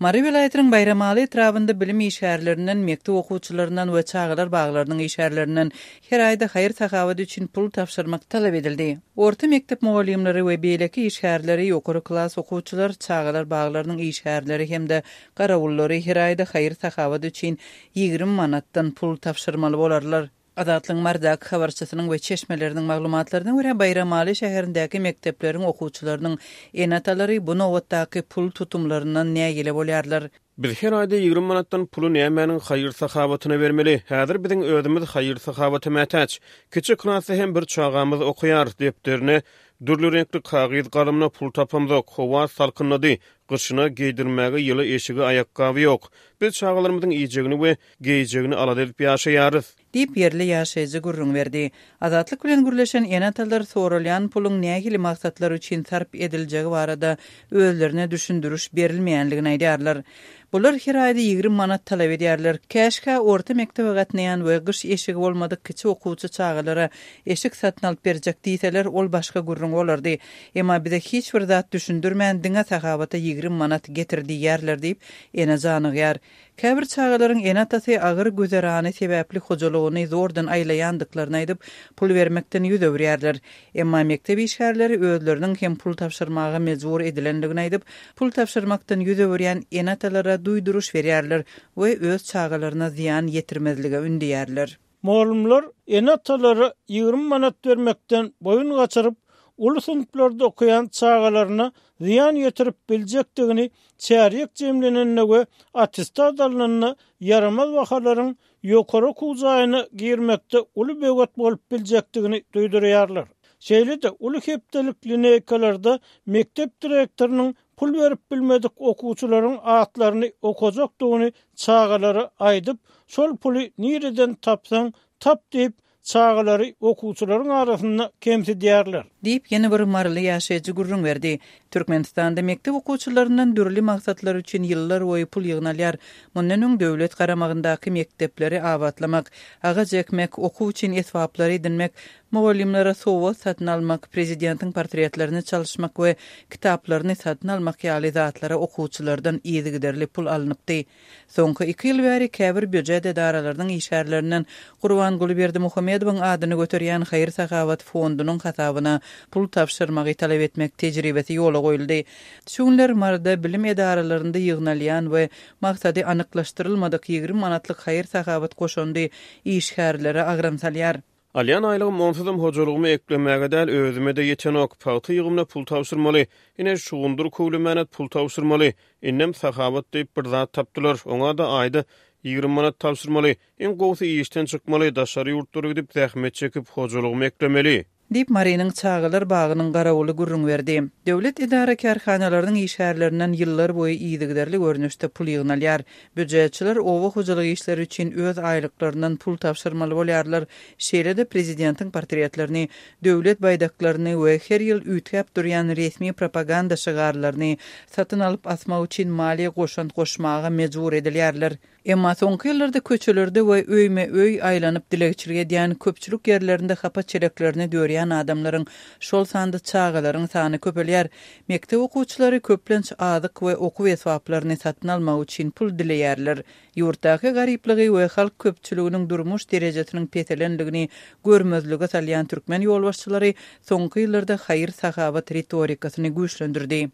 Mary welaýatynyň Baýramaly etrabynda bilim işgärlerinden, mekdep okuwçylaryndan we çagalar baglarynyň işgärlerinden her aýda haýyr-sahawat üçin pul tabşyrmak talap edildi. Orta mekdep mugallymlary we beýleki işgärleri, ýokary klas okuwçylar, çagalar baglarynyň işgärleri hem-de garawullary her aýda haýyr-sahawat üçin 20 manatdan pul tabşyrmaly bolarlar. Azatlygyň Marydaky habarçysynyň we çeşmeleriniň maglumatlaryna görä, Baýramaly şäherindäki mekdepleriň okuwçylarynyň ene-atalary bu nobatdaky pul tutumlaryndan nägile bolýarlar. Biz her aýda 20 manatdan puly nämäniň haýyr-sahawatyna bermeli? Häzir biziň özümiz haýyr-sahawata mätäç. Kiçi klasda hem bir çagamyz okaýar. Depderine, dürli reňkli kagyz galamyna pul tapamzok. Howa salkynlady. Gyşyna geýdirmäge ýyly eşigi, aýakgaby ýok. Biz çagalarymyzyň iýjegini we geýjegini alada edip ýaşaýarys. Diýip, ýerli ýaşaýjy gürrüň berdi. Azatlyk bilen gürleşen ene-atalar soralýan puluň nähili maksatlar üçin sarp ediljegi barada özlerine düşündiriş berilmeýänligini aýdýarlar. Bular her aýda 20 manat talap edýärler. Käşgä orta mekdebe gatnaýan we gyş eşigi bolmadyk kiçi okuwçy çagalara eşik satyn alyp berjek diýseler, ol başga gürrüň bolardy. Emma bize hiç bir zat düşündirmän, diňe sahawata 20 manat getir diýýärler diýip, ene janygýar. Käbir çagalaryň ene-atasy agyr güzerany sebäpli hojalygyny zordan aýlaýandyklaryny aýdyp, pul bermekden ýüz öwürýärler. Emma mekdep işgärleri özleriniň hem pul tabşyrmaga mejbur edilendigini aýdyp, pul tabşyrmakdan ýüz öwürýän ene-atalara duýduryş berýärler we öz çagalaryna zyýan ýetirmezlige ündeýärler. Mugallymlar ene-atalara 20 manat bermekden boýun gaçyryp, uly synplarda okaýan çagalaryna zyýan ýetirip biljekdigini çärýek jemlenende we attestat alnanda ýaramaz bahalaryň ýokary okuw jaýyna girmekde uly böwet bolup biljekdigini duýdurýarlar. Şeýle-de uly hepdelik lineýkalarda mekdep direktorynyň pul berip bilmedik okuwçylaryň atlaryny okajakdygyny çagalara aýdyp, şol puly nireden tapsaň tap diýip, çagalary okuwçylaryň arasynda kemsidýärler. Diýip, ýene bir maryly ýaşaýjy gürrüň berdi. Türkmenistanda mekdep okuwçylaryndan dürli maksatlar üçin ýyllar boýy pul ýygnalýar. Mundan öň döwlet garamagyndaky mekdepleri abatlamak, agaç ekmek, okuw üçin esbaplary edinmek, Mugallymlara sowgat satyn almak, prezidentiň portretlerini çalyşmak we kitaplaryny satyn almak ýaly zatlara okuwçylardan yzygiderli pul alnypdy. Soňky iki ýyl bäri käbir býujet edaralarynyň işgärlerinden Gurbanguly Berdimuhamedowyň adyny göterýän haýyr-sahawat fondunyň hasabyna pul tabşyrmagy talap etmek tejribesi ýola goýuldy. Şu günler Maryda bilim edaralarynda ýygnalýan we maksady anyklaşdyrylmadyk 20 manatlyk haýyr-sahawat goşandy işgärlere agram salýar. Alýan aýlygym onsuzam hojalygymy eklemäge däl, özüme-de ýetenok. Pagta ýygymyna pul tabşyrmaly. Ine, şugundyr köwlemäne pul tabşyrmaly. Indem sahawat diýip bir zat tapdylar. Oňa-da aýda 20 manat tabşyrmaly. Iň gowusy işden çykmaly, daşary ýurtlara gidip zähmet çekip, hojalygymy eklemeli. Diýip, Marynyň çagalar bagynyň garawuly gürrüň berdi. Döwlet edara-kärhanalarynyň işgärlerinden ýyllar boýy yzygiderli görnüşde pul ýygnalýar. Býujetçiler oba hojalyk işleri üçin öz aýlyklaryndan pul tabşyrmaly bolýarlar. Şeýle-de prezidentiň portretlerini, döwlet baýdaklaryny we her ýyl üýtgäp durýan resmi propaganda şygarlaryny satyn alyp asmak üçin maliýe goşant goşmaga mejbur edilýärler. Emma soňky ýyllarda köçelerde we öýme-öý aýlanyp dilegçilik edýän, köpçülik ýerlerinde hapa çeleklerini dörýän adamlaryň, şol sanda çagalaryň sany köpelýär. Mekdep okuwçylary köplenç azyk we okuw esbaplaryny satyn almak üçin pul dileýärler. Ýurtdaky garyplygy we halk köpçüliginiň durmuş derejesiniň peselenligini görmezlige salýan türkmen ýolbaşçylary soňky ýyllarda haýyr-sahawat ritorikasyny güýçlendirdi.